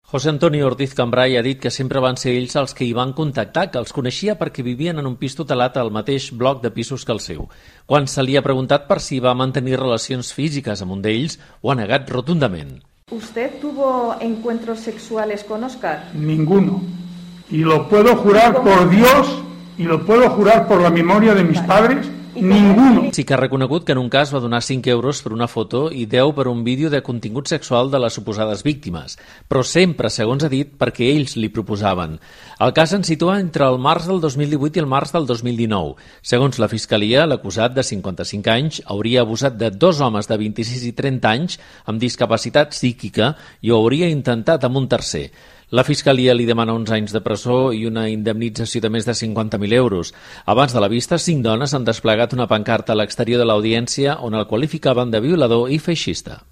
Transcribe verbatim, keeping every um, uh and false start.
José Antonio Ortiz Cambray ha dit que sempre van ser ells els que hi van contactar, que els coneixia perquè vivien en un pis tutelat al mateix bloc de pisos que el seu. Quan se li ha preguntat per si va mantenir relacions físiques amb un d'ells, ho ha negat rotundament. ¿Usted tuvo encuentros sexuales con Óscar? Ninguno. Y lo puedo jurar por Dios y lo puedo jurar por la memoria de mis padres. Ninguno. Sí que ha reconegut que en un cas va donar cinc euros per una foto i deu per un vídeo de contingut sexual de les suposades víctimes, però sempre, segons ha dit, perquè ells li proposaven. El cas ens situa entre el març del dos mil divuit i el març del dos mil dinou. Segons la Fiscalia, l'acusat de cinquanta-cinc anys hauria abusat de dos homes de vint-i-sis i trenta anys amb discapacitat psíquica i ho hauria intentat amb un tercer. La Fiscalia li demana uns anys de presó i una indemnització de més de cinquanta mil euros. Abans de la vista, cinc dones han desplegat una pancarta a l'exterior de l'audiència on el qualificaven de violador i feixista.